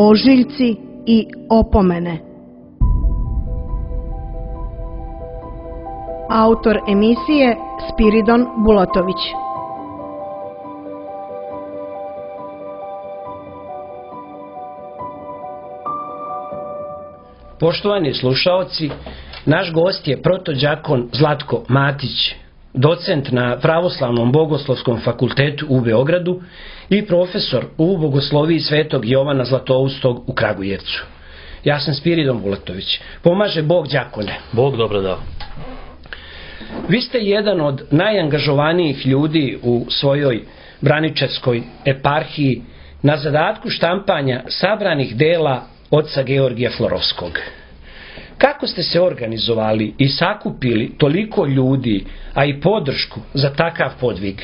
ožiljci i opomene. Autor emisije Spiridon Bulatović. Poštovani slušaoci, naš gost je protođakon Zlatko Matić, docent na Pravoslavnom bogoslovskom fakultetu u Beogradu i profesor u bogosloviji Svetog Jovana Zlatoustog u Kragujevcu. Ja sam Spiridon Bulatović. Pomaže Bog đakone. Bog dobro dao. Vi ste jedan od najangažovanijih ljudi u svojoj braničevskoj eparhiji na zadatku štampanja sabranih dela oca Georgija Florovskog. Kako ste se organizovali i sakupili toliko ljudi, a i podršku za takav podvig?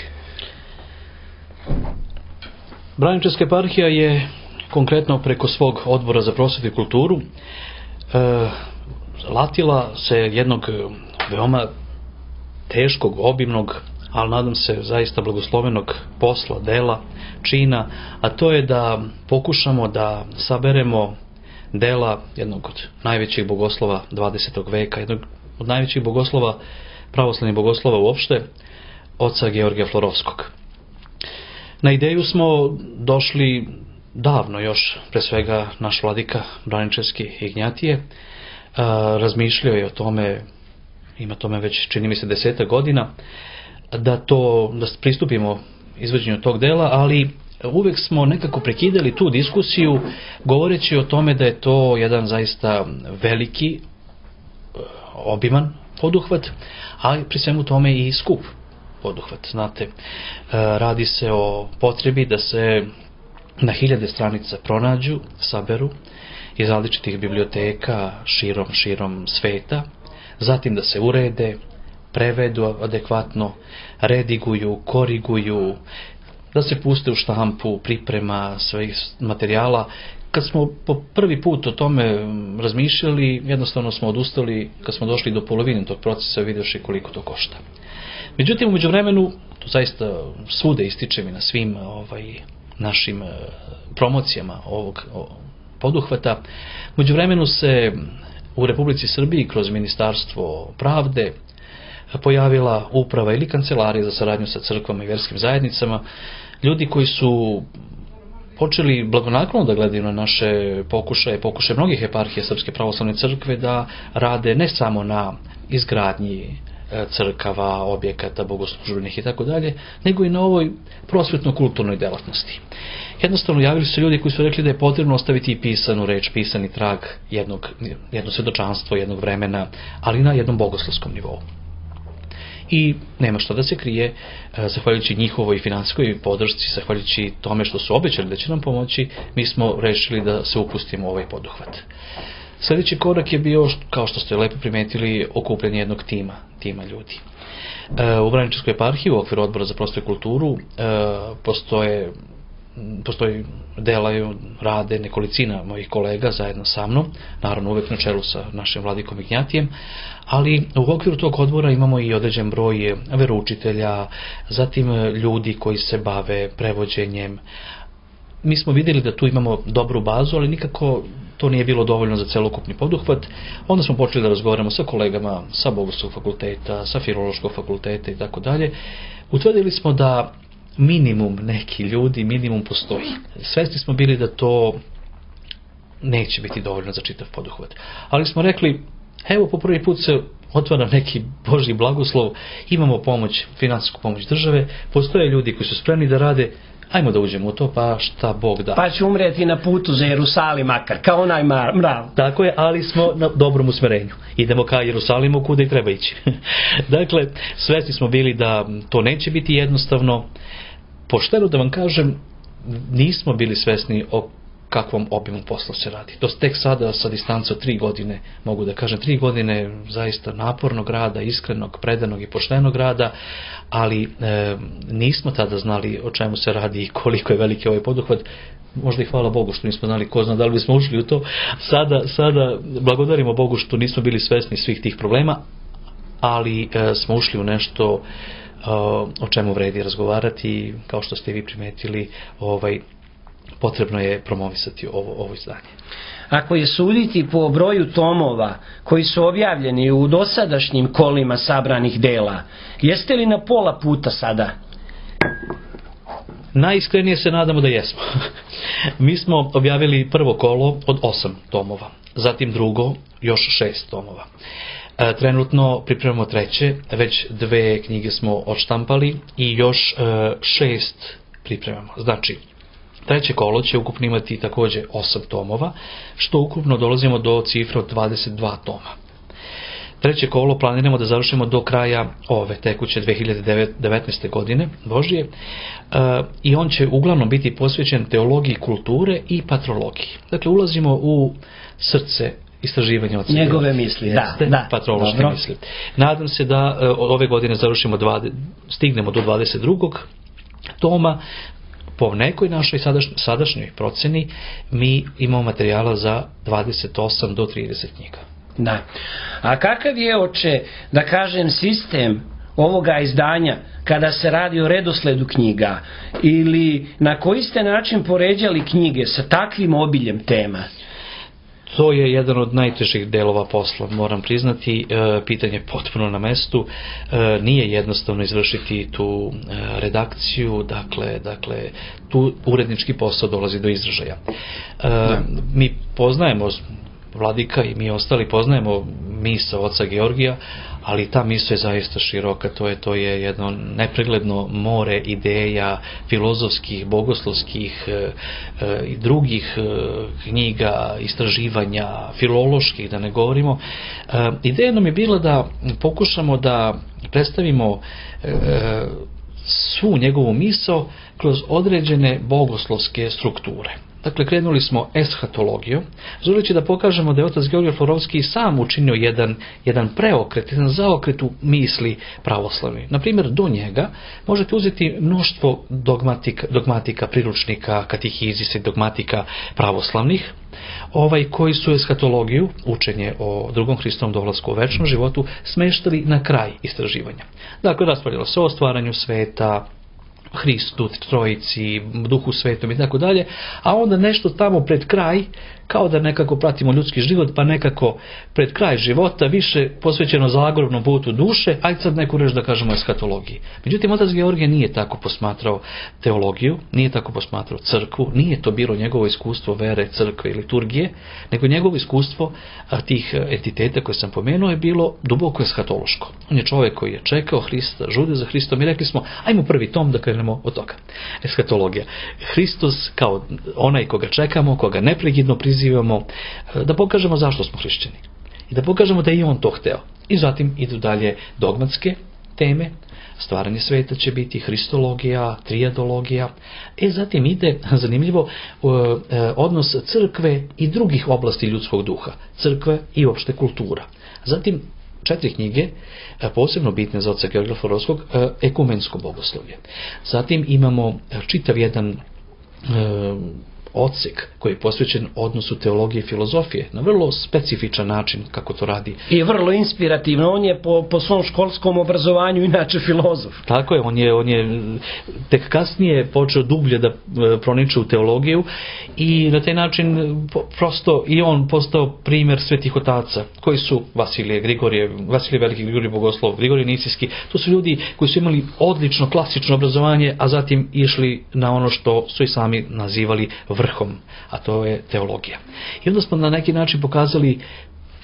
Braničevska eparhija je konkretno preko svog odbora za prosvetu i kulturu latila se jednog veoma teškog, obimnog, ali nadam se zaista blagoslovenog posla, dela, čina, a to je da pokušamo da saberemo dela jednog od najvećih bogoslova 20. veka, jednog od najvećih bogoslova, pravoslavnih bogoslova uopšte, oca Georgija Florovskog. Na ideju smo došli davno još, pre svega naš vladika braničevski Ignjatije, razmišljao je o tome, ima tome već čini mi se 10 godina, da pristupimo izvođenju tog dela, ali uvek smo nekako prekidali tu diskusiju govoreći o tome da je to jedan zaista veliki, obiman poduhvat, ali pri svemu tome i skup poduhvat. Znate, radi se o potrebi da se na 1000 stranica pronađu, saberu iz različitih biblioteka širom sveta, zatim da se urede, prevedu adekvatno, rediguju, koriguju, da se puste u štampu, priprema svih materijala. Kad smo po prvi put o tome razmišljali, jednostavno smo odustali kad smo došli do polovine tog procesa, vidjevši koliko to košta. Međutim, u međuvremenu, to zaista svude ističem i na svim našim promocijama ovog poduhvata, u međuvremenu se u Republici Srbiji kroz Ministarstvo pravde pojavila uprava ili kancelarija za saradnju sa crkvama i vjerskim zajednicama, ljudi koji su počeli blagonaklono da gledaju na naše pokušaje mnogih eparhija Srpske pravoslavne crkve da rade ne samo na izgradnji crkava, objekata, bogoslužbenih i tako dalje, nego i na ovoj prosvetno-kulturnoj delatnosti. Jednostavno javili su ljudi koji su rekli da je potrebno ostaviti i pisanu reč, pisani trag jedno svjedočanstvo, jednog vremena, ali na jednom bogoslovskom nivou. I nema što da se krije, zahvaljujući njihovoj finansijskoj podršci, zahvaljujući tome što su obećali da će nam pomoći, mi smo rešili da se upustimo u ovaj poduhvat. Sljedeći korak je bio, kao što ste lepo primetili, okupljanje jednog tima ljudi. U Braničevskoj eparhiji, u okviru odbora za prosvetu i kulturu, postoji delaju, rade nekolicina mojih kolega zajedno sa mnom, naravno uvek na čelu sa našim vladikom Ignjatijem, ali u okviru tog odbora imamo i određen broj veroučitelja, zatim ljudi koji se bave prevođenjem. Mi smo vidjeli da tu imamo dobru bazu, ali nikako to nije bilo dovoljno za celokupni poduhvat. Onda smo počeli da razgovaramo sa kolegama sa Bogoslovskog fakulteta, sa Filološkog fakulteta i tako dalje. Utvrdili smo da minimum postoji. Svesni smo bili da to neće biti dovoljno za čitav poduhvat. Ali smo rekli, evo po prvi put se otvara neki Božji blagoslov, imamo pomoć, finansijsku pomoć države, postoje ljudi koji su spremni da rade, ajmo da uđemo u to, pa šta Bog da. Pa će umreti na putu za Jerusalim makar, kao onaj mrav. Tako je, ali smo na dobrom usmerenju. Idemo ka Jerusalimu kuda i treba ići. Dakle, svesni smo bili da to neće biti jednostavno. Pošteno da vam kažem, nismo bili svesni o kakvom obimu posla se radi. To tek sada sa distance od 3 godine, mogu da kažem 3 godine zaista napornog rada, iskrenog, predanog i poštenog rada, ali nismo tada znali o čemu se radi i koliko je veliki ovaj poduhvat. Možda i hvala Bogu što nismo znali, ko zna da li bismo ušli u to. Sada blagodarimo Bogu što nismo bili svesni svih tih problema, ali smo ušli u nešto o čemu vredi razgovarati, kao što ste vi primetili, potrebno je promovisati ovo izdanje. Ako je suditi po broju tomova koji su objavljeni u dosadašnjim kolima sabranih dela, jeste li na pola puta sada? Najiskrenije se nadamo da jesmo. Mi smo objavili prvo kolo od 8 tomova, zatim drugo još 6 tomova. Trenutno pripremamo treće, već 2 knjige smo odštampali i još 6 pripremamo. Znači, treće kolo će ukupno imati također 8 tomova, što ukupno dolazimo do cifre od 22 toma. Treće kolo planiramo da završimo do kraja ove tekuće 2019. godine, Božije, i on će uglavnom biti posvećen teologiji kulture i patrologiji. Dakle, ulazimo u srce istraživanja oca njegove misli, da, patrološke dobro. misli. Nadam se da ove godine završimo stignemo do 22. toma. Po nekoj našoj sadašnjoj proceni mi imamo materijala za 28 do 30 knjiga. Da. A kakav je, oče, da kažem, sistem ovoga izdanja kada se radi o redosledu knjiga, ili na koji ste način poređali knjige sa takvim obiljem tema? To je jedan od najtežih delova posla, moram priznati. Pitanje je potpuno na mestu. Nije jednostavno izvršiti tu redakciju, dakle tu urednički posao dolazi do izražaja. Mi poznajemo, Vladika i mi ostali poznajemo misao oca Georgija, ali ta misao je zaista široka, to je jedno nepregledno more ideja, filozofskih, bogoslovskih i drugih knjiga, istraživanja, filoloških, da ne govorimo. Ideja nam je bila da pokušamo da predstavimo svu njegovu misao kroz određene bogoslovske strukture. Dakle, krenuli smo eshatologijom, želeći da pokažemo da je otac Georgije Florovski sam učinio jedan preokret, jedan zaokret u misli pravoslavni. Naprimjer, do njega možete uzeti mnoštvo dogmatika, priručnika, katehizisa i dogmatika pravoslavnih, koji su eshatologiju, učenje o drugom Hristovom dolasku u večnom životu, smeštali na kraj istraživanja. Dakle, raspravljalo se o stvaranju sveta, Hristu, Trojici, Duhu Svetom i tako dalje, a onda nešto tamo pred kraj, kao da nekako pratimo ljudski život, pa nekako pred kraj života više posvećeno zagrobnom putu duše, ajde sad neku reč da kažemo eshatologiji. Međutim, otac Georgije nije tako posmatrao teologiju, nije tako posmatrao crkvu, nije to bilo njegovo iskustvo vere, crkve i liturgije, nego njegovo iskustvo tih entiteta koje sam pomenuo je bilo duboko eshatološko. On je čovjek koji je čekao Hrista, žudio za Hristom i rekli smo, ajmo prvi tom da krenemo od toga. Eshatologija. Hristos kao onaj koga čekamo, koga neprekidno prizivamo, da pokažemo zašto smo hrišćani. I da pokažemo da je i on to hteo. I zatim idu dalje dogmatske teme, stvaranje sveta će biti, hristologija, trijadologija. Zatim ide, zanimljivo, odnos crkve i drugih oblasti ljudskog duha. Crkve i opšte kultura. Zatim 4 knjige, posebno bitne za oca Georgija Florovskog, ekumensko bogoslovlje. Zatim imamo čitav jedan odsek koji je posvećen odnosu teologije i filozofije na vrlo specifičan način kako to radi. I vrlo inspirativno, on je po svom školskom obrazovanju inače filozof. Tako je, on je tek kasnije počeo dublje da proniče u teologiju i na taj način prosto i on postao primjer svetih otaca koji su Vasilije Veliki, Grigorije Bogoslov, Grigorije Nicijski. To su ljudi koji su imali odlično klasično obrazovanje, a zatim išli na ono što su i sami nazivali vrhom, a to je teologija. I onda smo na neki način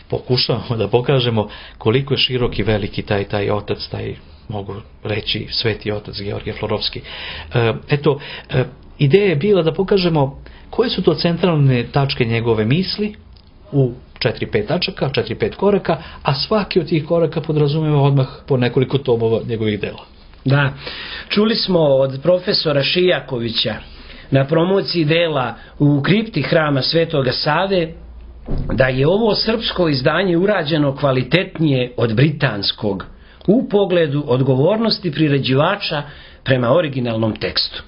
pokušavamo da pokažemo koliko je širok i veliki taj otac, taj, mogu reći, sveti otac Georgije Florovski. Ideja je bila da pokažemo koje su to centralne tačke njegove misli u 4-5 tačaka, 4-5 koraka, a svaki od tih koraka podrazumijeva odmah po nekoliko tomova njegovih dela. Da, čuli smo od profesora Šijakovića na promociji dela u kripti hrama Svetoga Save da je ovo srpsko izdanje urađeno kvalitetnije od britanskog u pogledu odgovornosti priređivača prema originalnom tekstu.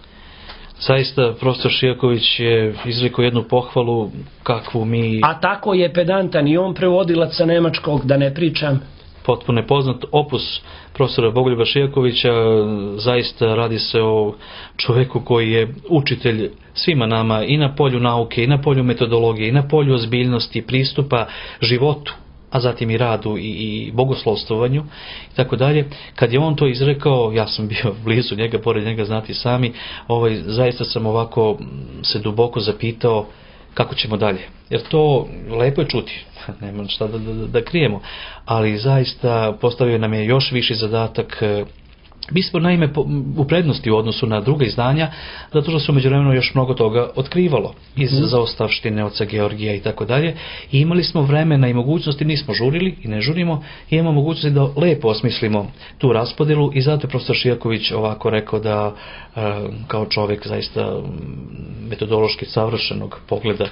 Zaista, profesor Šijaković je izrekao jednu pohvalu kakvu mi... A tako je pedantan i on prevodilac sa nemačkog, da ne pričam. potpuno je poznat opus profesora Bogoljuba Šijakovića. Zaista radi se o čovjeku koji je učitelj svima nama i na polju nauke, i na polju metodologije, i na polju ozbiljnosti, pristupa životu, a zatim i radu i bogoslovstovanju i tako dalje. Kad je on to izrekao, ja sam bio blizu njega, pored njega, znati sami, zaista sam ovako se duboko zapitao kako ćemo dalje. Jer to lepo je čuti, nema šta da krijemo, ali zaista postavio nam je još viši zadatak. Mi smo naime u prednosti u odnosu na druga izdanja, zato što se u međuvremenu još mnogo toga otkrivalo iz zaostavštine oca Georgija i tako dalje. I imali smo vremena i mogućnosti, nismo žurili i ne žurimo, i imamo mogućnosti da lepo osmislimo tu raspodjelu, i zato je profesor Šijaković ovako rekao da kao čovjek zaista metodološki savršenog pogleda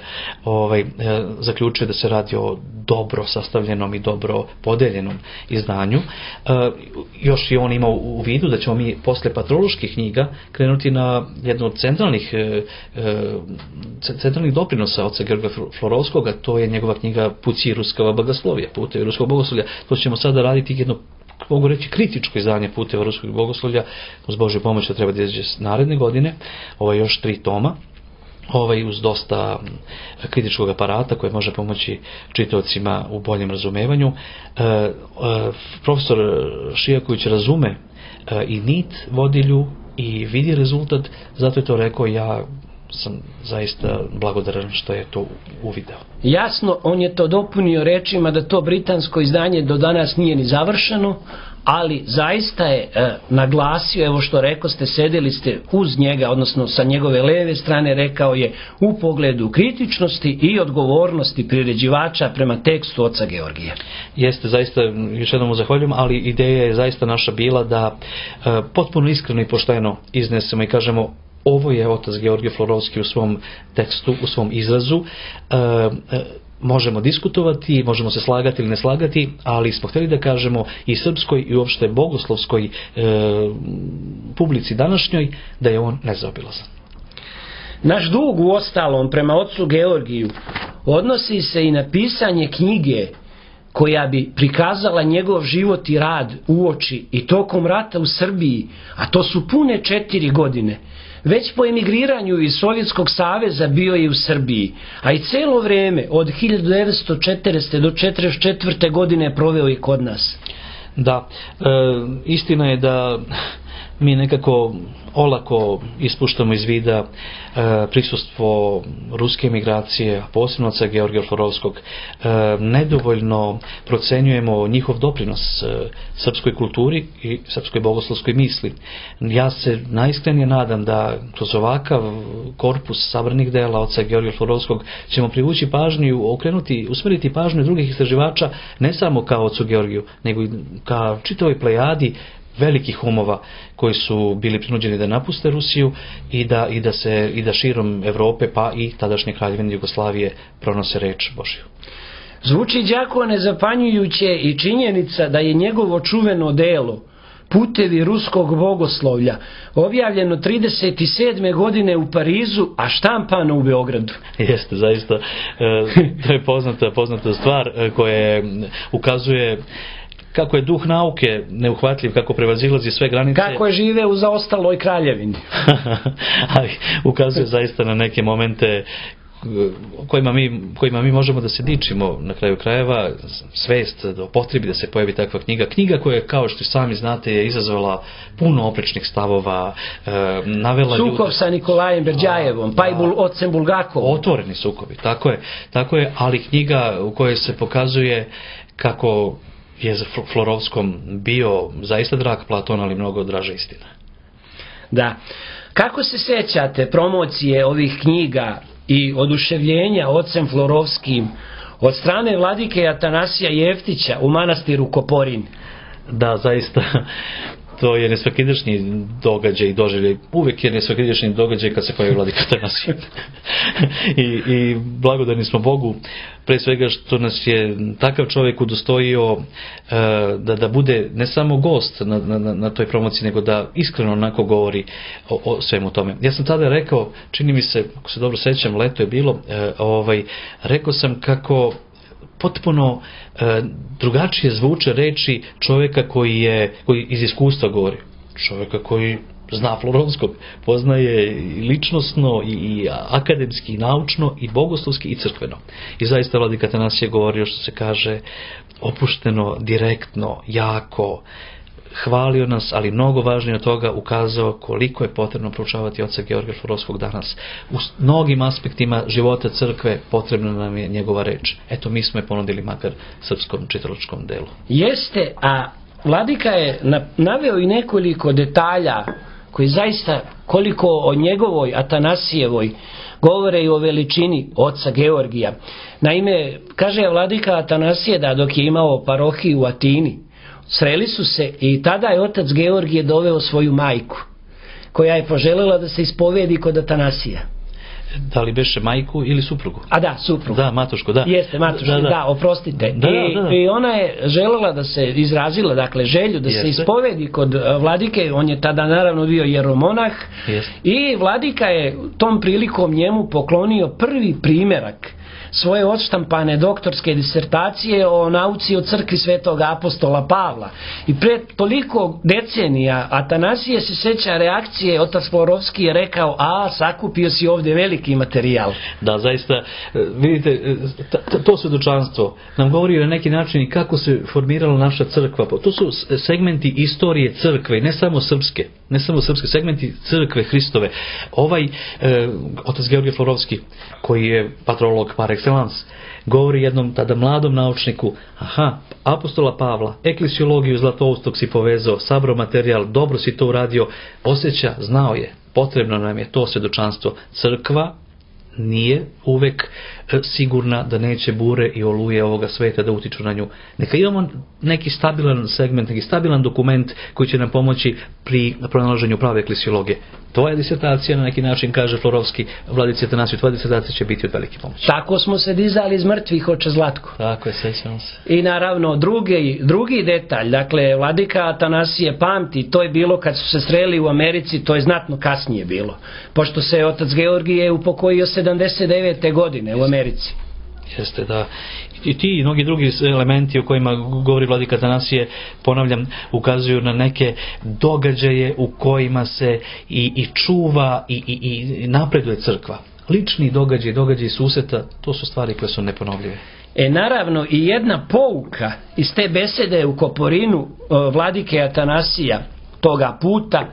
zaključuje da se radi o dobro sastavljenom i dobro podeljenom izdanju. Još i on ima u vidu da ćemo mi posle patroloških knjiga krenuti na jednu od centralnih doprinosa oca Georgija Florovskog, a to je njegova knjiga Puci ruskava bogoslovija, Putevi ruskog bogoslovlja. To ćemo sada raditi jedno, mogu reći, kritičko izdanje Puteva ruskog bogoslovlja. Uz Božju pomoć to treba da izađe naredne godine. Još 3 toma. Uz dosta kritičkog aparata koje može pomoći čitaocima u boljem razumevanju. Profesor Šijaković razume i nit vodilju i vidi rezultat, zato je to rekao. Ja sam zaista blagodaran što je to uvideo. Jasno, on je to dopunio rečima da to britansko izdanje do danas nije ni završeno, ali zaista je naglasio, evo što rekao ste, sedeli ste uz njega, odnosno sa njegove leve strane, rekao je u pogledu kritičnosti i odgovornosti priređivača prema tekstu oca Georgija. Jeste, zaista, još jednom mu zahvaljujem, ali ideja je zaista naša bila da potpuno iskreno i pošteno iznesemo i kažemo: ovo je otac Georgije Florovski u svom tekstu, u svom izrazu. Možemo diskutovati, možemo se slagati ili ne slagati, ali smo htjeli da kažemo i srpskoj i uopšte bogoslovskoj publici današnjoj da je on nezaobilazan. Naš dug u ostalom prema ocu Georgiju odnosi se i na pisanje knjige koja bi prikazala njegov život i rad uoči i tokom rata u Srbiji, a to su pune 4 godine. Već po emigriranju iz Sovjetskog saveza bio je u Srbiji, a i celo vreme od 1940. do 1944. godine proveo je kod nas. Da, istina je da mi nekako olako ispuštamo iz vida prisustvo ruske emigracije, a posebno oca Georgija Florovskog. Nedovoljno procenjujemo njihov doprinos srpskoj kulturi i srpskoj bogoslovskoj misli. Ja se najiskrenije nadam da kroz ovakav korpus sabranih dela oca Georgija Florovskog ćemo privući pažnju, usmeriti pažnju drugih istraživača, ne samo kao ocu Georgiju, nego i ka čitavoj plejadi velikih umova koji su bili prinuđeni da napuste Rusiju i da širom Evrope, pa i tadašnje Kraljevine Jugoslavije, pronose reč Božju. Zvuči, đakone, zapanjujuće i činjenica da je njegovo čuveno delo Putevi ruskog bogoslovlja objavljeno 37. godine u Parizu, a štampano u Beogradu. Jeste, zaista, to je poznata stvar koja ukazuje kako je duh nauke neuhvatljiv, kako prevazilazi sve granice. Kako je žive u zaostaloj kraljevini. Ali ukazuje zaista na neke momente kojima mi možemo da se dičimo, na kraju krajeva, svest o potrebi da se pojavi takva knjiga. Knjiga koja, kao što sami znate, je izazvala puno oprečnih stavova, navela ljude... Sukob sa Nikolajem Berđajevom, pa i ocem Bulgakovom. Otvoreni sukobi, tako je, ali knjiga u kojoj se pokazuje kako je za Florovskom bio zaista drag Platon, ali mnogo draža istina. Da. Kako se sećate promocije ovih knjiga i oduševljenja ocem Florovskim od strane vladike Atanasija Jeftića u manastiru Koporin? Da, zaista, to je nesvakidašnji događaj i doživljaj. Uvijek je nesvakidašnji događaj kad se pojavi vladika Atanasije. I blagodarni smo Bogu, pre svega što nas je takav čovjek udostojio da bude ne samo gost na toj promociji, nego da iskreno onako govori o svemu tome. Ja sam tada rekao, čini mi se, ako se dobro sećam, leto je bilo, rekao sam kako potpuno drugačije zvuče reči čovjeka koji iz iskustva govori. Čovjeka koji zna Florovskog, poznaje i ličnosno i akademski, i naučno, i bogoslovski, i crkveno. I zaista vladika Atanasije govorio, što se kaže, opušteno, direktno, jako, hvalio nas, ali mnogo važnije od toga ukazao koliko je potrebno proučavati oca Georgija Florovskog danas. U mnogim aspektima života crkve potrebna nam je njegova reč. Eto, mi smo je ponudili makar srpskom čitalačkom delu. Jeste, a vladika je naveo i nekoliko detalja koji zaista, koliko o njegovoj Atanasijevoj govore i o veličini oca Georgija. Naime, kaže vladika Atanasije da dok je imao parohiju u Atini, sreli su se i tada je otac Georgije doveo svoju majku, koja je poželjela da se ispovedi kod Atanasija. Da li beše majku ili suprugu? A da, suprugu. Da, matušku, da. Jeste, matušku, da, oprostite. Da. I ona je željela da se izrazila, dakle, želju da se ispovedi kod vladike, on je tada naravno bio jeromonah. I vladika je tom prilikom njemu poklonio prvi primjerak svoje odštampane doktorske disertacije o nauci o crkvi svetog apostola Pavla. I pred toliko decenija Atanasije se sjeća reakcije, otac Florovski je rekao, sakupio si ovdje veliki materijal. Da, zaista, vidite, to svedočanstvo nam govori na neki način i kako se formirala naša crkva. To su segmenti istorije crkve, ne samo srpske, segmenti crkve Hristove. Ovaj otac Georgije Florovski, koji je patrolog par excellence, govori jednom tada mladom naučniku, apostola Pavla, eklesiologiju Zlatoustog si povezao, sabrao materijal, dobro si to uradio, osjeća, znao je, potrebno nam je to svjedočanstvo. Crkva nije uvek sigurna da neće bure i oluje ovoga sveta da utiču na nju. Neka imamo neki stabilan segment, neki stabilan dokument koji će nam pomoći pri pronalaženju prave eklesiologije. Tvoja disertacija, na neki način, kaže Florovski, vladici Atanasiju, tvoja disertacija će biti od velike pomoći. Tako smo se dizali iz mrtvih, oče Zlatko. Tako je, sećamo se. I naravno, drugi detalj, dakle, vladika Atanasije pamti, to je bilo kad su se sreli u Americi, to je znatno kasnije bilo. Pošto se otac Georgije upokojio 79. godine u Americi. Jeste, da. I ti i mnogi drugi elementi o kojima govori vladika Atanasije, ponavljam, ukazuju na neke događaje u kojima se i čuva i napreduje crkva. Lični događaji susreta, to su stvari koje su neponovljive. Naravno, i jedna pouka iz te besede u Koporinu vladike Atanasija toga puta,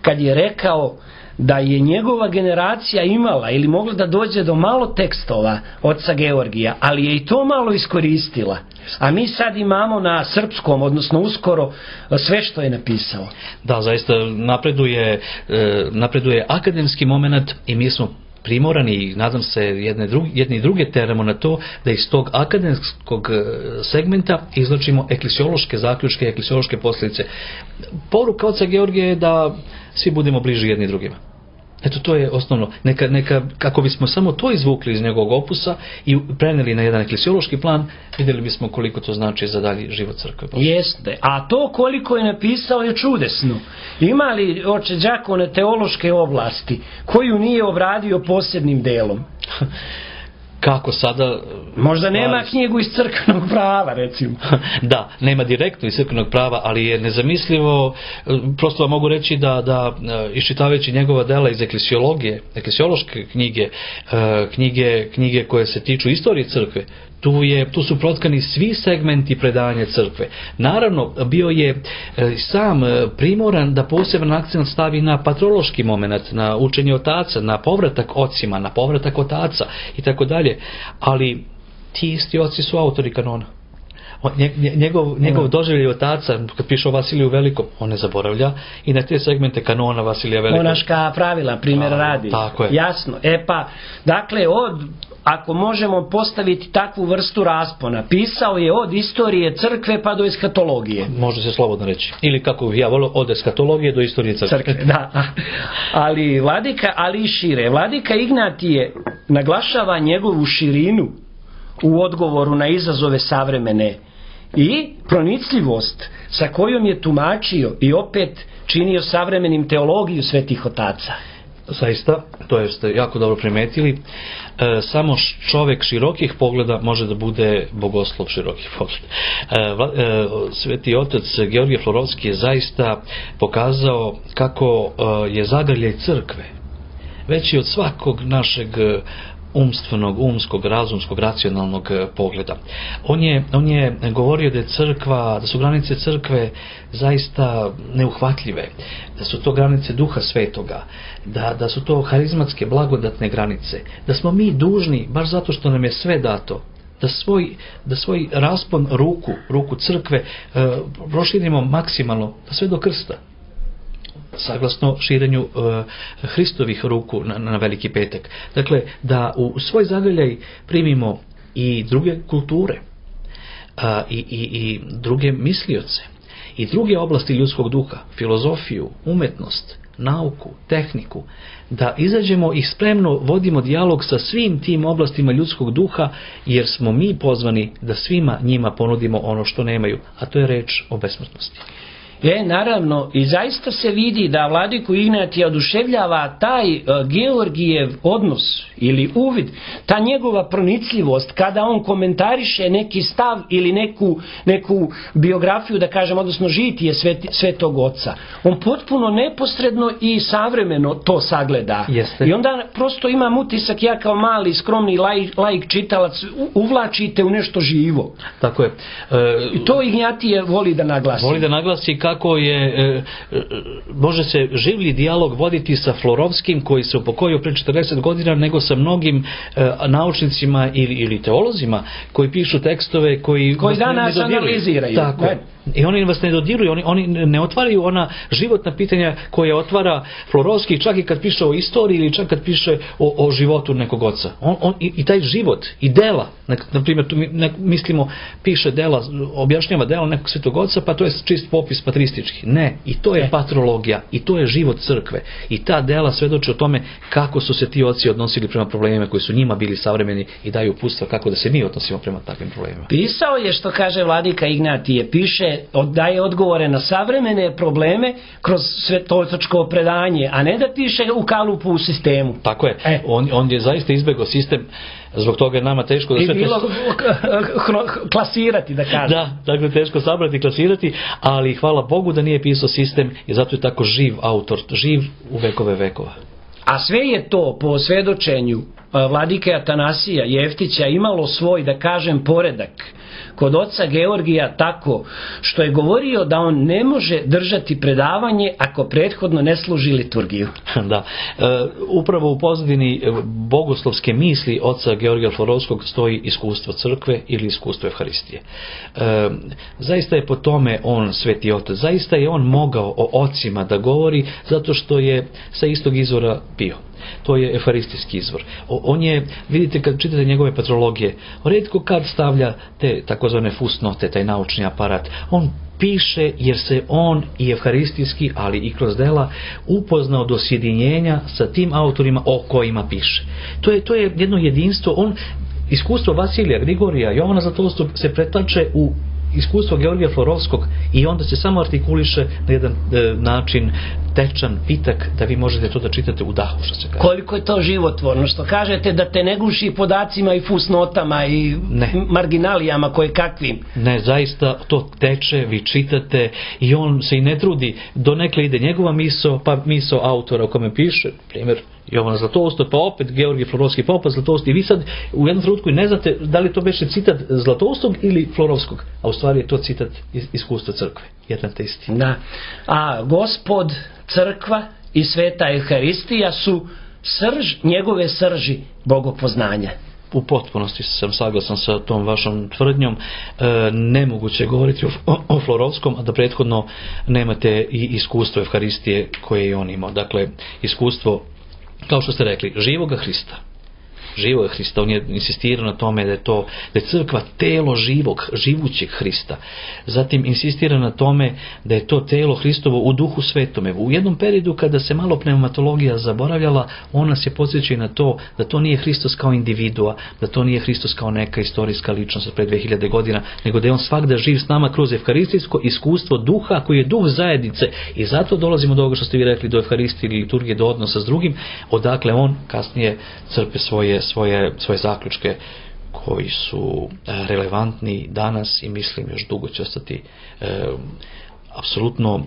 kad je rekao da je njegova generacija imala ili mogla da dođe do malo tekstova oca Georgija, ali je i to malo iskoristila. A mi sad imamo na srpskom, odnosno uskoro, sve što je napisao. Da, zaista napreduje akademski moment i mi smo primorani, i nadam se jedni i druge teramo na to, da iz tog akademskog segmenta izlačimo eklesiološke zaključke, eklesiološke posljedice. Poruka oca Georgija je da svi budemo bliži jedni drugima. Eto, to je osnovno. Neka, kako bismo samo to izvukli iz njegovog opusa i preneli na jedan eklesiološki plan, vidjeli bismo koliko to znači za dalji život crkve. Jeste, a to koliko je napisao je čudesno. Ima li, oče đakone, teološke oblasti koju nije obradio posebnim delom? Kako sada... Možda nema knjigu iz crkvenog prava, recimo. Da, nema direktno iz crkvenog prava, ali je nezamislivo, prosto vam mogu reći da iščitavajući njegova dela iz eklesiološke knjige koje se tiču istorije crkve, tu su protkani svi segmenti predavanja crkve. Naravno, bio je sam primoran da poseban akcent stavi na patrološki moment, na učenje otaca, na povratak ocima, na povratak otaca i tako dalje. Ali ti isti oci su autori kanona. Njegov doživljaj otaca, kad piše o Vasiliju Velikom, on ne zaboravlja i na te segmente kanona Vasilija Velikog. Monaška pravila, primjer radi. Tako je. Jasno. Dakle, ako možemo postaviti takvu vrstu raspona, pisao je od istorije crkve pa do eskatologije. Može se slobodno reći. Ili kako ja volio, od eskatologije do istorije crkve. Da. Ali i šire. Vladika Ignatije naglašava njegovu širinu u odgovoru na izazove savremene i pronicljivost sa kojom je tumačio i opet činio savremenim teologiju svetih otaca. Zaista, to ste jako dobro primetili. Samo čovjek širokih pogleda može da bude bogoslov širokih pogleda. Sveti otac Georgije Florovski je zaista pokazao kako je zagrljaj crkve veći od svakog našeg umstvenog, umskog, razumskog, racionalnog pogleda. On je govorio da je crkva, da su granice crkve zaista neuhvatljive, da su to granice Duha Svetoga, da su to harizmatske, blagodatne granice, da smo mi dužni, baš zato što nam je sve dato, da svoj raspon ruku crkve proširimo maksimalno, sve do krsta, saglasno širenju Hristovih ruku na Veliki petak. Dakle, da u svoj zagrljaj primimo i druge kulture, i druge mislioce, i druge oblasti ljudskog duha, filozofiju, umetnost, nauku, tehniku, da izađemo i spremno vodimo dijalog sa svim tim oblastima ljudskog duha, jer smo mi pozvani da svima njima ponudimo ono što nemaju, a to je reč o besmrtnosti. Naravno, i zaista se vidi da vladiku Ignatija oduševljava taj Georgijev odnos ili uvid, ta njegova pronicljivost kada on komentariše neki stav ili neku biografiju, da kažem, odnosno žitije Svetog Oca. On potpuno neposredno i savremeno to sagleda. Jeste. I onda prosto imam utisak, ja kao mali, skromni laik čitalac, uvlačite u nešto živo. Tako je. I to Ignatije voli da naglasi. Voli da naglasi kako je, može se življi dijalog voditi sa Florovskim, koji se upokojio pre 40 godina, nego sa mnogim naučnicima ili teolozima koji pišu tekstove koji danas analiziraju. Tako je. I oni vas ne dodiruju, oni ne otvaraju ona životna pitanja koje otvara Florovski, čak i kad piše o istoriji ili čak kad piše o životu nekog oca. I taj život i dela, na primjer, tu mislimo, piše dela, objašnjava dela nekog Svetog Oca, pa to je čist popis patristički. Ne, i to je patrologija, i to je život crkve. I ta dela svedoče o tome kako su se ti oci odnosili prema problemima koji su njima bili savremeni i daju uputstva kako da se mi odnosimo prema takvim problemima. Pisao je, što kaže vladika Ignatije, piše, daje odgovore na savremene probleme kroz svetovačko predanje, a ne da piše u kalupu u sistemu. Tako je. On je zaista izbegao sistem, zbog toga je nama teško da sve... I bilo klasirati, da kažem. Da, dakle, teško sabrati i klasirati, ali hvala Bogu da nije pisao sistem i zato je tako živ autor, živ u vekove vekova. A sve je to, po svedočenju vladike Atanasija Jeftića, imalo svoj, da kažem, poredak kod oca Georgija, tako što je govorio da on ne može držati predavanje ako prethodno ne služi liturgiju. Da, upravo u pozadini bogoslovske misli oca Georgija Florovskog stoji iskustvo crkve ili iskustvo Evharistije. Zaista je po tome on sveti otac, zaista je on mogao o ocima da govori zato što je sa istog izvora bio. To je evharistijski izvor. On je, vidite kad čitate njegove patrologije, retko kad stavlja te takozvane fusnote, taj naučni aparat. On piše jer se on i evharistijski, ali i kroz dela upoznao do sjedinjenja sa tim autorima o kojima piše. To je jedno jedinstvo. Iskustvo Vasilija, Grigorija, Jovana Zlatoustog se pretače u iskustvo Georgija Florovskog i onda se samo artikuliše na jedan način tečan, pitak, da vi možete to da čitate u dahu, što se kaže. Koliko je to životvorno, što kažete da te ne guši podacima i fusnotama i marginalijama koje kakvim. Ne, zaista to teče, vi čitate i on se i ne trudi, donekle ide njegova misao, pa misao autora u kome piše, primjer, Jovana Zlatoustog, pa opet Georgij Florovski, pa opet Zlatoust, i vi sad u jednom trenutku ne znate da li to beše citat Zlatoustog ili Florovskog, a u stvari je to citat iz iskustva crkve, jedan te isti. Da. A Gospod, crkva i sveta Evharistija su njegove srži bogopoznanja. U potpunosti sam saglasan sa tom vašom tvrdnjom. Nemoguće je govoriti o Florovskom, a da prethodno nemate i iskustvo Evharistije koje je on imao. Dakle, iskustvo, kao što ste rekli, živoga Hrista, živog Hrista. On je insistirao na tome da je crkva telo živućeg Hrista. Zatim insistira na tome da je to telo Hristovo u duhu svetome. U jednom periodu kada se malo pneumatologija zaboravljala, on nas je podsjeća na to da to nije Hristos kao individua, da to nije Hristos kao neka istorijska ličnost pre 2000 godina, nego da je on svakda živ s nama kroz evharistijsko iskustvo duha koji je duh zajednice. I zato dolazimo do ovoga što ste vi rekli, do evharistije ili liturgije, do odnosa s drugim, odakle on kasnije crpe svoje zaključke koji su relevantni danas i mislim još dugo će ostati apsolutno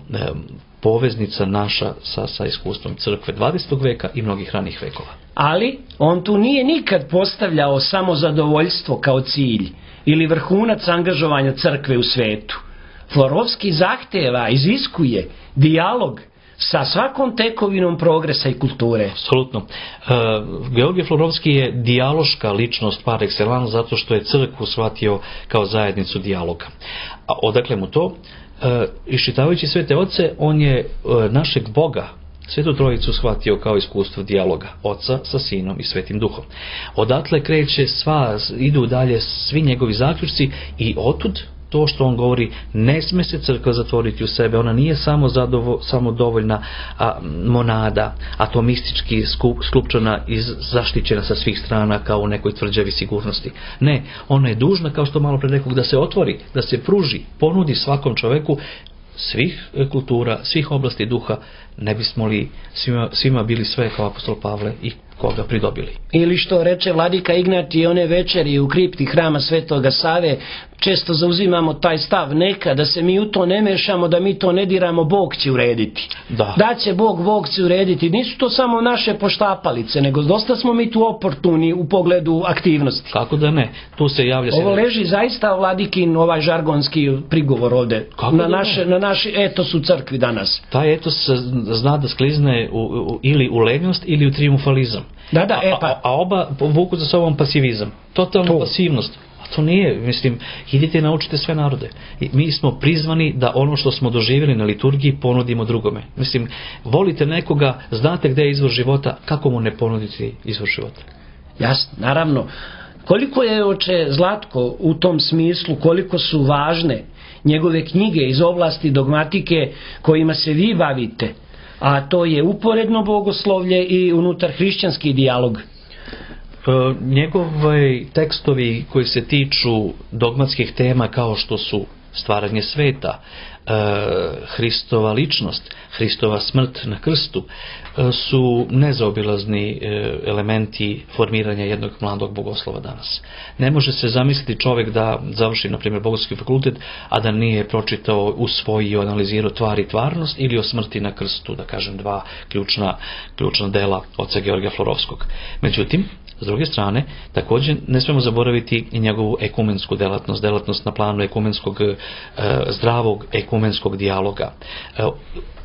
poveznica naša sa iskustvom crkve 20. veka i mnogih ranih vekova. Ali on tu nije nikad postavljao samozadovoljstvo kao cilj ili vrhunac angažovanja crkve u svetu. Florovski zahteva, iziskuje dijalog sa svakom tekovinom progresa i kulture. Apsolutno. Georgije Florovski je dijaloška ličnost par excellence zato što je crkvu shvatio kao zajednicu dijaloga. A odakle mu to? Iščitavajući Svete Oce, on je našeg Boga, Svetu Trojicu, shvatio kao iskustvo dijaloga Oca sa Sinom i Svetim Duhom. Odatle kreće idu dalje svi njegovi zaključci i otud to što on govori, ne sme se crkva zatvoriti u sebe, ona nije samo dovoljna monada, atomistički sklupčana i zaštićena sa svih strana kao u nekoj tvrđavi sigurnosti. Ne, ona je dužna, kao što malo pre rekao, da se otvori, da se pruži, ponudi svakom čoveku svih kultura, svih oblasti duha, ne bismo li svima bili sve kao apostol Pavle i koga pridobili. Ili što reče vladika Ignatije one večeri u kripti hrama Svetoga Save, često zauzimamo taj stav, neka da se mi u to ne mešamo, da mi to ne diramo, Bog će urediti. Da će Bog će urediti. Nisu to samo naše poštapalice, nego dosta smo mi tu oportuni u pogledu aktivnosti. Kako da ne? Tu se javlja... Ovo leži zaista vladikin ovaj žargonski prigovor ovde na naš etos u crkvi danas. Taj etos zna da sklizne ili u lenjost ili u triumfalizam. A oba vuku za sobom pasivizam. Totalna pasivnost. A to nije, mislim, idite i naučite sve narode. Mi smo prizvani da ono što smo doživjeli na liturgiji ponudimo drugome. Mislim, volite nekoga, znate gde je izvor života, kako mu ne ponuditi izvor života? Jasno, naravno. Koliko je, oče Zlatko, u tom smislu, koliko su važne njegove knjige iz oblasti dogmatike kojima se vi bavite, a to je uporedno bogoslovlje i unutar hrišćanski dijalog? Njegovi tekstovi koji se tiču dogmatskih tema kao što su stvaranje sveta, Hristova ličnost, Hristova smrt na krstu, su nezaobilazni elementi formiranja jednog mladog bogoslova danas. Ne može se zamisliti čovjek da završi, na primjer, Bogoslovski fakultet, a da nije pročitao, usvojio, analizirao Tvar i tvarnost ili o smrti na krstu, da kažem, dva ključna dela oca Georgija Florovskog. Međutim, s druge strane, također ne smemo zaboraviti i njegovu ekumensku delatnost na planu ekumenskog, zdravog ekumenskog dijaloga.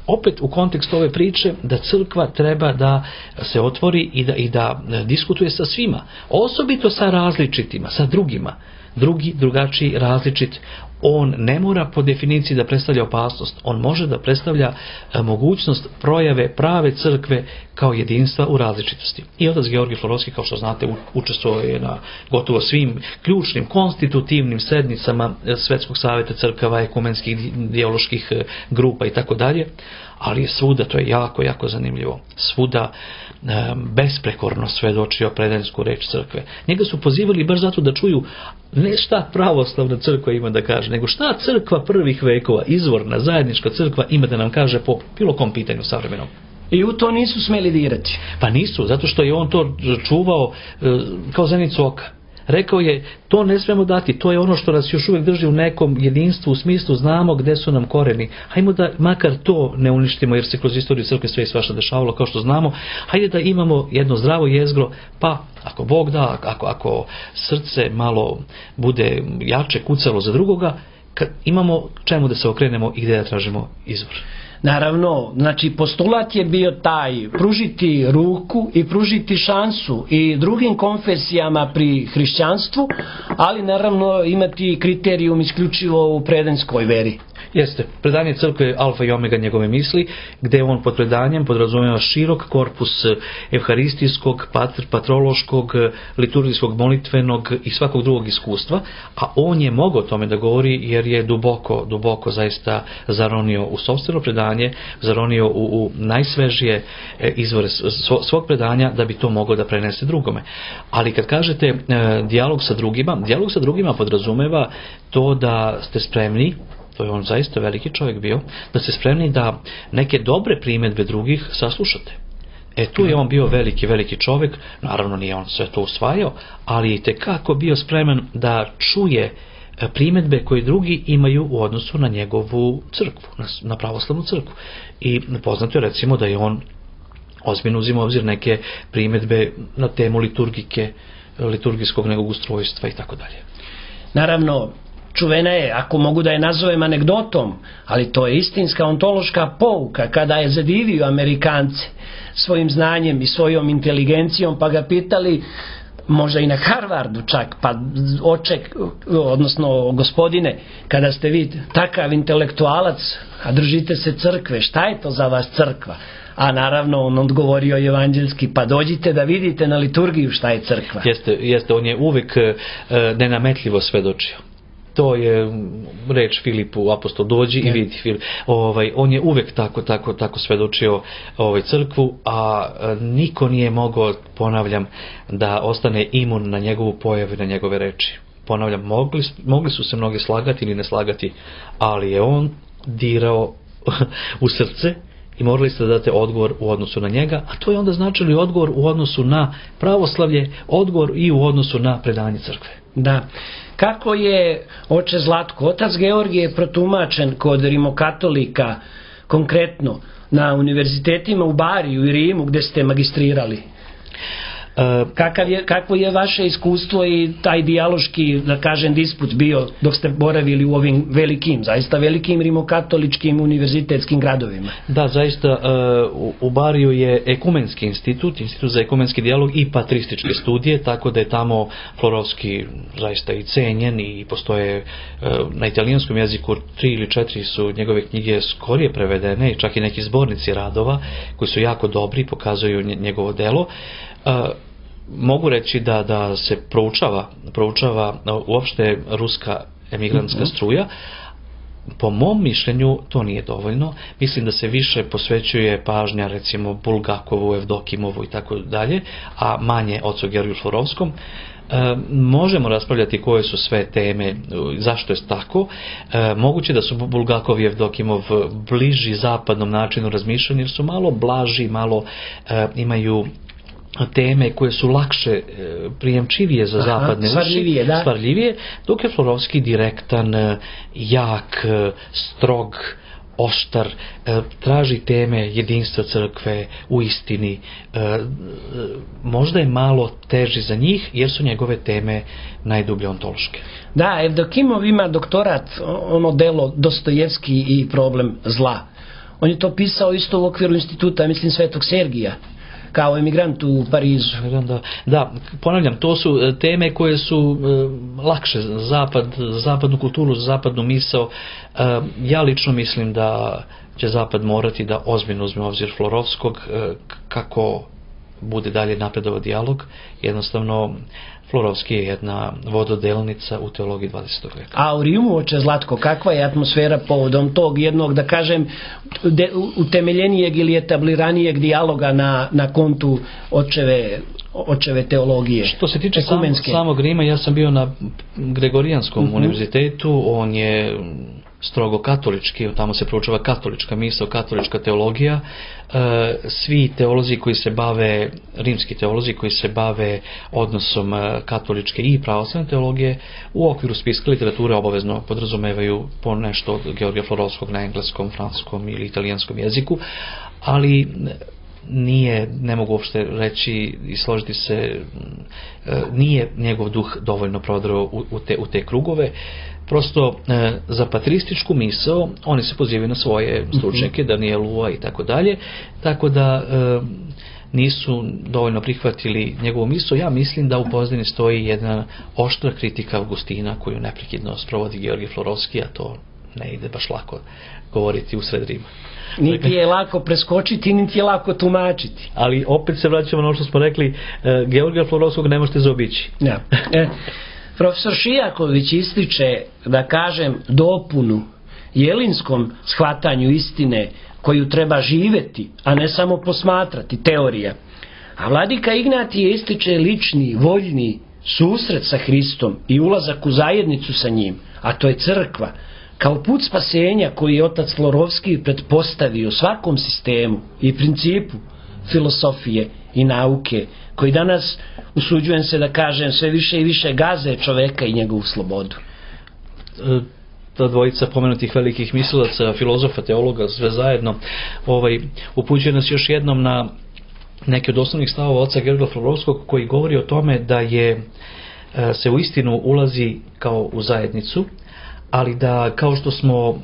Opet u kontekstu ove priče da crkva treba da se otvori i da diskutuje sa svima, osobito sa različitima, sa drugima. Drugačiji, različit, on ne mora po definiciji da predstavlja opasnost, on može da predstavlja mogućnost projave prave crkve kao jedinstva u različitosti. I otac Georgije Florovski, kao što znate, učestvovao je na gotovo svim ključnim, konstitutivnim sednicama Svetskog saveta crkava, ekumenskih, dijaloških grupa i tako dalje, ali je svuda, to je jako, jako zanimljivo, svuda besprekorno svedočio predansku reč crkve. Njega su pozivali baš zato da čuju ne šta pravoslavna crkva ima da kaže, nego šta crkva prvih vekova, izvorna, zajednička crkva ima da nam kaže po bilo kom pitanju savremenom. I u to nisu smeli dirati. Pa nisu, zato što je on to čuvao kao zenicu oka. Rekao je, to ne smemo dati, to je ono što nas još uvijek drži u nekom jedinstvu, u smislu znamo gde su nam koreni. Hajmo da makar to ne uništimo, jer se kroz istoriju crkve sve i svašta dešavalo, kao što znamo. Hajde da imamo jedno zdravo jezgro, pa ako Bog da, ako srce malo bude jače kucalo za drugoga, imamo čemu da se okrenemo i gde da tražimo izvor. Naravno, znači postulat je bio taj, pružiti ruku i pružiti šansu i drugim konfesijama pri hrišćanstvu, ali naravno imati kriterijum isključivo u predanskoj veri. Jeste, predanje crkve je alfa i omega njegove misli, gdje on pod predanjem podrazumijeva širok korpus evharistijskog, patrološkog, liturgijskog, molitvenog i svakog drugog iskustva, a on je mogao o tome da govori jer je duboko zaista zaronio u sopstveno predanje, zaronio u najsvežije izvore svog predanja da bi to mogao da prenese drugome. Ali kad kažete dijalog sa drugima podrazumeva to da ste spremni, to je on zaista veliki čovjek bio, da ste spremni da neke dobre primjedbe drugih saslušate. Tu je on bio veliki čovjek, naravno nije on sve to usvajao, ali je tekako bio spreman da čuje primjedbe koje drugi imaju u odnosu na njegovu crkvu, na pravoslavnu crkvu. I poznato je recimo da je on ozbiljno uzimao obzir neke primjedbe na temu liturgijskog nekog ustrojstva i tako dalje. Naravno, čuvena je, ako mogu da je nazovem anegdotom, ali to je istinska ontološka pouka, kada je zadivio Amerikance svojim znanjem i svojom inteligencijom, pa ga pitali, možda i na Harvardu čak, pa odnosno gospodine, kada ste vi takav intelektualac, a držite se crkve, šta je to za vas crkva? A naravno on odgovorio evanđelski, pa dođite da vidite na liturgiju šta je crkva. Jeste, on je uvijek nenametljivo svedočio. To je reč Filipu, apostol, dođi i vidi Filip. On je uvijek tako svedočio crkvu, a niko nije mogao, ponavljam, da ostane imun na njegovu pojavu i na njegove reči. Ponavljam, mogli su se mnogi slagati ili ne slagati, ali je on dirao u srce i morali ste da date odgovor u odnosu na njega, a to je onda značilo i odgovor u odnosu na pravoslavlje, odgovor i u odnosu na predanje crkve. Da. Kako je, oče Zlatko, otac Georgije protumačen kod rimokatolika, konkretno na univerzitetima u Bariju i Rimu gdje ste magistrirali? Kakvo je vaše iskustvo i taj dijaloški, da kažem, disput bio dok ste boravili u ovim zaista velikim rimokatoličkim univerzitetskim gradovima? Da, zaista u Bariju je ekumenski institut za ekumenski dijalog i patrističke studije, tako da je tamo Florovski zaista i cenjen i postoje na italijanskom jeziku 3 ili 4 su njegove knjige skorije prevedene, čak i neki zbornici radova koji su jako dobri, pokazuju njegovo delo. Mogu reći da se proučava uopšte ruska emigrantska struja. Po mom mišljenju to nije dovoljno. Mislim da se više posvećuje pažnja recimo Bulgakovu, Evdokimovu i tako dalje, a manje ocu Georgiju Florovskom. Možemo raspravljati koje su sve teme, zašto je tako. Moguće da su Bulgakov i Evdokimov bliži zapadnom načinu razmišljanja jer su malo blaži, malo imaju teme koje su lakše prijemčivije za zapadne uši, svarljivije, dok je Florovski direktan, jak, strog, oštar, traži teme jedinstva crkve u istini. Možda je malo teži za njih jer su njegove teme najdublje ontološke. Da, Evdokimov ima doktorat, ono delo Dostojevski i problem zla. On je to pisao isto u okviru instituta, mislim, Svetog Sergija, kao emigrant u Parizu. Da, ponavljam, to su teme koje su lakše za zapadnu kulturu, za zapadnu misao. Ja lično mislim da će Zapad morati da ozbiljno uzme obzir Florovskog kako bude dalje napredovao dijalog. Jednostavno, Florovski je jedna vododelnica u teologiji 20. veka. A u Rimu, oče Zlatko, kakva je atmosfera povodom tog jednog, da kažem, utemeljenijeg ili etabliranijeg dijaloga na kontu očeve teologije? Što se tiče samog Rima, ja sam bio na Gregorijanskom univerzitetu, on je strogo katolički, tamo se proučava katolička misao, katolička teologija. Svi teolozi koji se bave, rimski teolozi koji se bave odnosom katoličke i pravoslavne teologije u okviru spiska literature obavezno podrazumevaju po nešto od Georgija Florovskog na engleskom, francuskom ili italijanskom jeziku, ali ne mogu uopšte reći i složiti se, nije njegov duh dovoljno prodrao u te krugove. Prosto za patrističku misao oni se pozivaju na svoje stručnjake, Danielua i tako dalje, tako da nisu dovoljno prihvatili njegovu misao. Ja mislim da u pozadini stoji jedna oštra kritika Augustina koju neprekidno sprovodi Georgij Florovski, a to ne ide baš lako govoriti usred Rima. Niti je lako preskočiti, niti je lako tumačiti. Ali opet se vraćamo na ono što smo rekli, Georgija Florovskog ne možete zaobići. Ja. Profesor Šijaković ističe, da kažem, dopunu jelinskom shvatanju istine koju treba živjeti, a ne samo posmatrati, teorija. A vladika Ignatije ističe lični, voljni susret sa Hristom i ulazak u zajednicu sa njim, a to je crkva, kao put spasenja koji je otac Florovski pretpostavio svakom sistemu i principu filosofije i nauke, koji danas, usuđujem se da kažem, sve više i više gaze čoveka i njegovu slobodu. Ta dvojica pomenutih velikih mislilaca, filozofa, teologa, sve zajedno, upućuje nas još jednom na neki od osnovnih stavova oca Georgija Florovskog, koji govori o tome da se u istinu ulazi kao u zajednicu, ali da kao što smo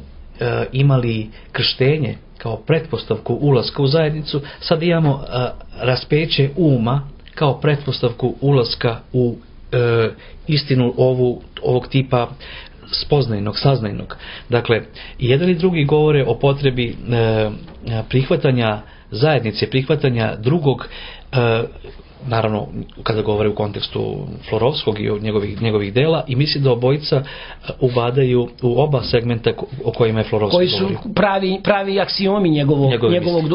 imali krštenje kao pretpostavku ulaska u zajednicu, sad imamo raspeće uma kao pretpostavku ulaska u istinu ovog tipa spoznajnog, saznajnog. Dakle, jedan i drugi govore o potrebi prihvatanja zajednice, prihvatanja drugog, naravno kada govore u kontekstu Florovskog i njegovih dela, i misli da obojica ubadaju u oba segmenta o kojima je Florovski koji su govorio. pravi aksiomi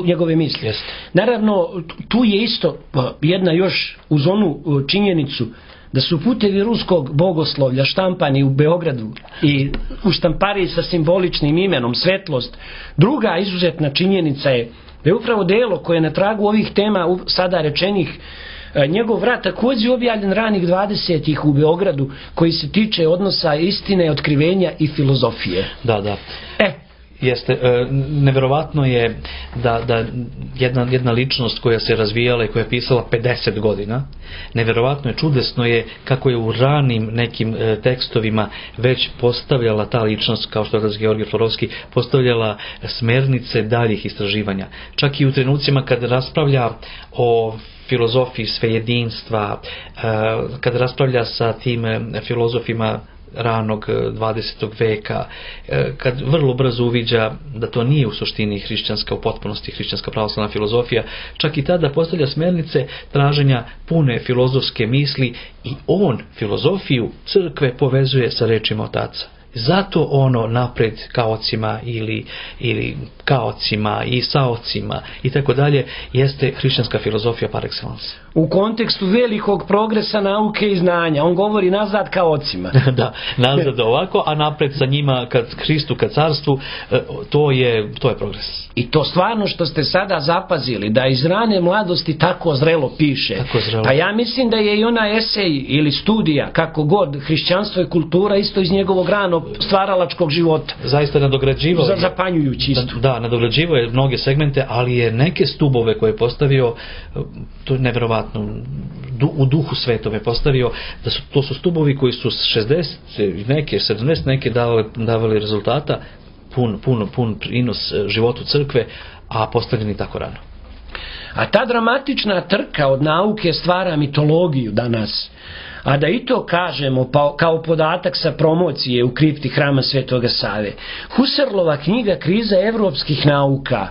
njegove misli. Jest. Naravno, tu je isto jedna još uz onu činjenicu da su putevi ruskog bogoslovlja štampani u Beogradu i u štampariji sa simboličnim imenom Svetlost. Druga izuzetna činjenica je da je upravo delo koje je na tragu ovih tema sada rečenih, njegov rad također objavljen ranih 20-ih u Beogradu, koji se tiče odnosa istine, otkrivenja i filozofije. Da. Jeste, neverovatno je da jedna ličnost koja se razvijala i koja je pisala 50 godina, neverovatno je, čudesno je kako je u ranim nekim tekstovima već postavljala ta ličnost, kao što je Georgij Florovski, postavljala smernice daljih istraživanja. Čak i u trenucima kad raspravlja o filozofiji svejedinstva, kad raspravlja sa tim filozofima ranog 20. veka, kad vrlo brzo uviđa da to nije u suštini hrišćanska, u potpunosti hrišćanska pravoslavna filozofija, čak i tada postavlja smernice traženja pune filozofske misli, i on filozofiju crkve povezuje sa rečima otaca. Zato ono napred kaocima ili kaocima i saocima i tako dalje jeste hrišćanska filozofija par excellence. U kontekstu velikog progresa nauke i znanja, on govori nazad kaocima. Da, nazad ovako, a napred sa njima kad Hristu, kad carstvu, to je progres. I to stvarno što ste sada zapazili, da iz rane mladosti tako zrelo piše. Pa ja mislim da je i ona esej ili studija, kako god, hrišćanstvo i kultura, isto iz njegovog ranog stvaralačkog života. Zaista nadograđivao je. Zapanjujući isto. Da, nadograđivao je mnoge segmente, ali je neke stubove koje je postavio, to je neverovatno, u duhu svetove postavio, to su stubovi koji su 60 neke, 70 neke davali rezultata, pun prinos životu crkve, a postavljeni tako rano. A ta dramatična trka od nauke stvara mitologiju danas. A da i to kažemo kao podatak sa promocije u kripti Hrama Svetoga Save. Husserlova knjiga Kriza evropskih nauka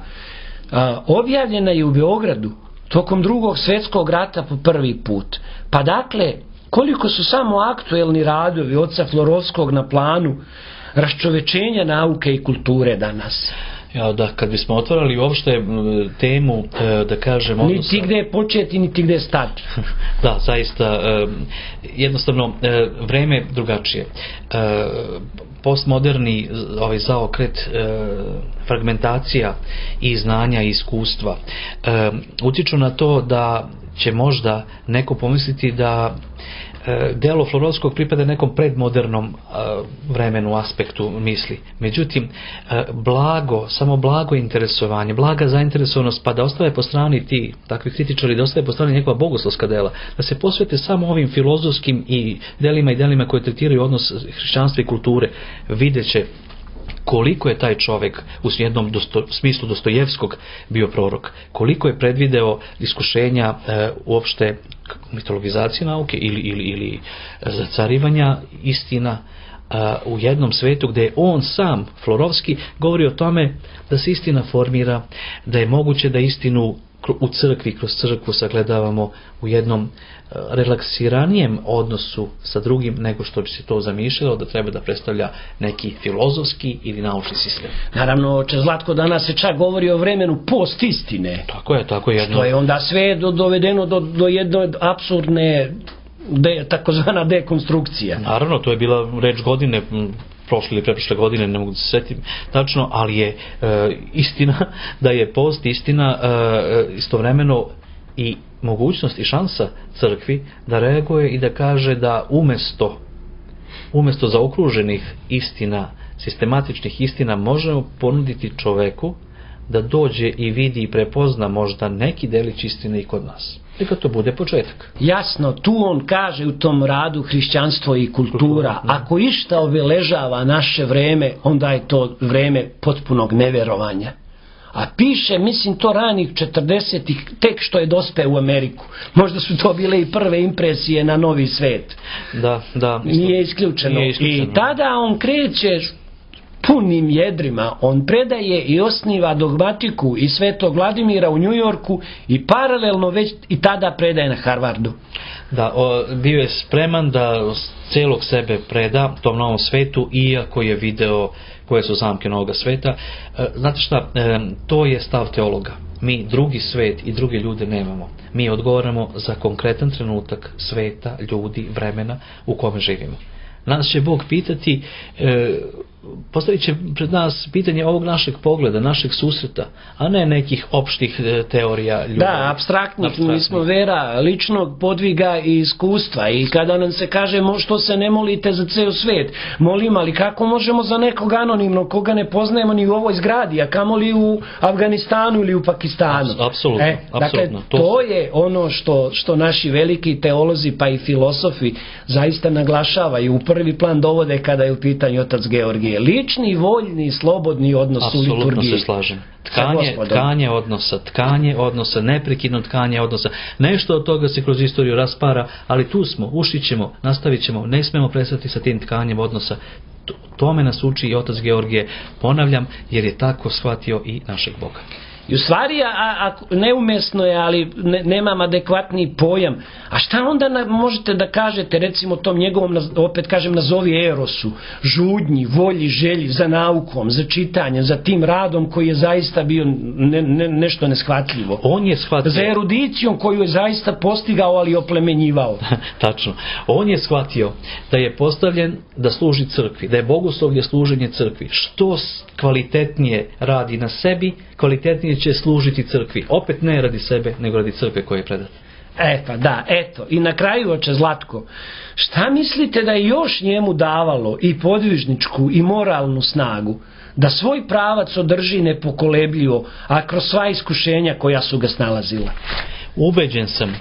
objavljena je u Beogradu tokom Drugog svjetskog rata po prvi put. Pa dakle, koliko su samo aktuelni radovi oca Florovskog na planu raščovečenja nauke i kulture danas. Ja, da, kad bismo otvarali uopšte temu, da kažem, odnosa... Niti gde početi, niti gde stati. Da, zaista, jednostavno, vreme drugačije. Postmoderni zaokret, fragmentacija i znanja i iskustva utiču na to da će možda neko pomisliti da delo Florovskog pripada nekom predmodernom vremenu, aspektu misli. Međutim, samo blago interesovanje, blaga zainteresovanost, pa da ostave po strani ti takvi kritičari, da ostave po strani njegova bogoslovska dela, da se posvete samo ovim filozofskim i delima koje tretiraju odnos hrišćanstva i kulture, videće koliko je taj čovjek u jednom smislu Dostojevskog bio prorok, koliko je predvideo iskušenja uopšte mitologizacije nauke ili zacarivanja istina, u jednom svetu gdje on sam, Florovski, govori o tome da se istina formira, da je moguće da istinu u crkvi, kroz crkvu sagledavamo u jednom relaksiranijem odnosu sa drugim nego što bi se to zamišljalo da treba da predstavlja neki filozofski ili naučni sistem. Naravno, oče Zlatko, danas se čak govori o vremenu post-istine. Tako je. Što je onda sve dovedeno do jedne apsurdne takozvana dekonstrukcija. Naravno, to je bila reč godine, prošle ili preprošle godine, ne mogu da se setim tačno, ali je istina da je post istina istovremeno i mogućnost i šansa crkvi da reaguje i da kaže da umjesto zaokruženih istina, sistematičnih istina, možemo ponuditi čoveku da dođe i vidi i prepozna možda neki delić istine i kod nas. Neka to bude početak. Jasno, tu on kaže u tom radu hrišćanstvo i kultura. Ako išta obeležava naše vreme, onda je to vreme potpunog neverovanja. A piše, mislim, to ranih 40-ih, tek što je dospeo u Ameriku. Možda su to bile i prve impresije na novi svet. Da. Nije isključeno. I tada on kreće punim jedrima, on predaje i osniva dogmatiku i Svetog Vladimira u Njujorku i paralelno već i tada predaje na Harvardu. Da, bio je spreman da celog sebe preda tom novom svetu, iako je video koje su zamke novoga sveta. Znate šta, to je stav teologa. Mi drugi svet i druge ljude nemamo. Mi odgovaramo za konkretan trenutak sveta, ljudi, vremena u kome živimo. Nas će Bog pitati, postavit će pred nas pitanje ovog našeg pogleda, našeg susreta, a ne nekih opštih teorija ljubavi. Da, apstraktnih. Mi smo vera ličnog podviga i iskustva, i kada nam se kaže što se ne molite za ceo svet, molim, ali kako možemo za nekog anonimnog koga ne poznajemo ni u ovoj zgradi, a kamoli u Afganistanu ili u Pakistanu. Apsolutno. Dakle, to je ono što naši veliki teolozi pa i filosofi zaista naglašavaju, u prvi plan dovode kada je u pitanju otac Georgije. Lični, voljni, slobodni odnos u liturgiji. Apsolutno se slažem. Tkanje odnosa, neprekidno tkanje odnosa. Nešto od toga se kroz istoriju raspara, ali tu smo, ušićemo, nastavit ćemo, ne smemo prestati sa tim tkanjem odnosa. Tome nas uči i otac Georgije, ponavljam, jer je tako shvatio i našeg Boga. I u stvari, neumesno je, ali nemam adekvatni pojam. A šta onda možete da kažete, recimo tom njegovom, opet kažem, nazovi erosu, žudnji, volji, želji za naukom, za čitanjem, za tim radom koji je zaista bio nešto neshvatljivo. On je shvatio. Za erudicijom koju je zaista postigao, ali oplemenjivao. Tačno. On je shvatio da je postavljen da služi crkvi, da je bogoslovlje služenje crkvi. Što kvalitetnije radi na sebi, kvalitetnije će služiti crkvi. Opet ne radi sebe, nego radi crkve koje je predat. Eto. I na kraju, oče Zlatko, šta mislite da je još njemu davalo i podvižničku i moralnu snagu da svoj pravac održi nepokolebljivo, a kroz sva iskušenja koja su ga snalazila? Ubeđen sam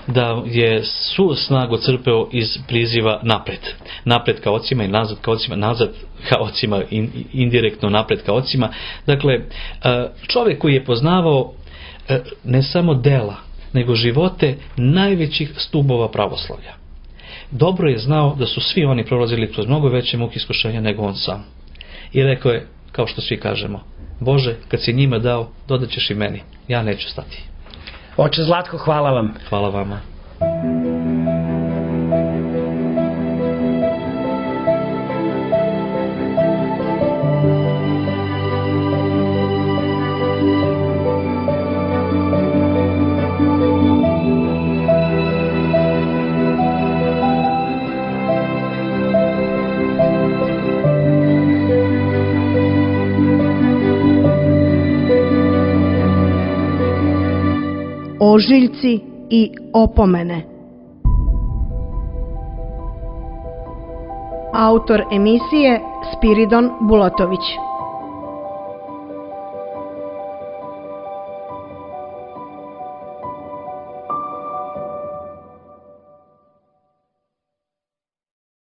da je svu snagu crpeo iz priziva napred. Napred ka ocima i nazad ka ocima, nazad ka ocima, indirektno napred ka ocima. Dakle, čovjek koji je poznavao ne samo dela, nego živote najvećih stubova pravoslavlja. Dobro je znao da su svi oni prolazili kroz mnogo veće muke iskušenja nego on sam. I rekao je, kao što svi kažemo, Bože, kad si njima dao, dodat ćeš i meni. Ja neću stati. Oče Zlatko, hvala vam. Hvala vama. Ožiljci i opomene. Autor emisije Spiridon Bulatović.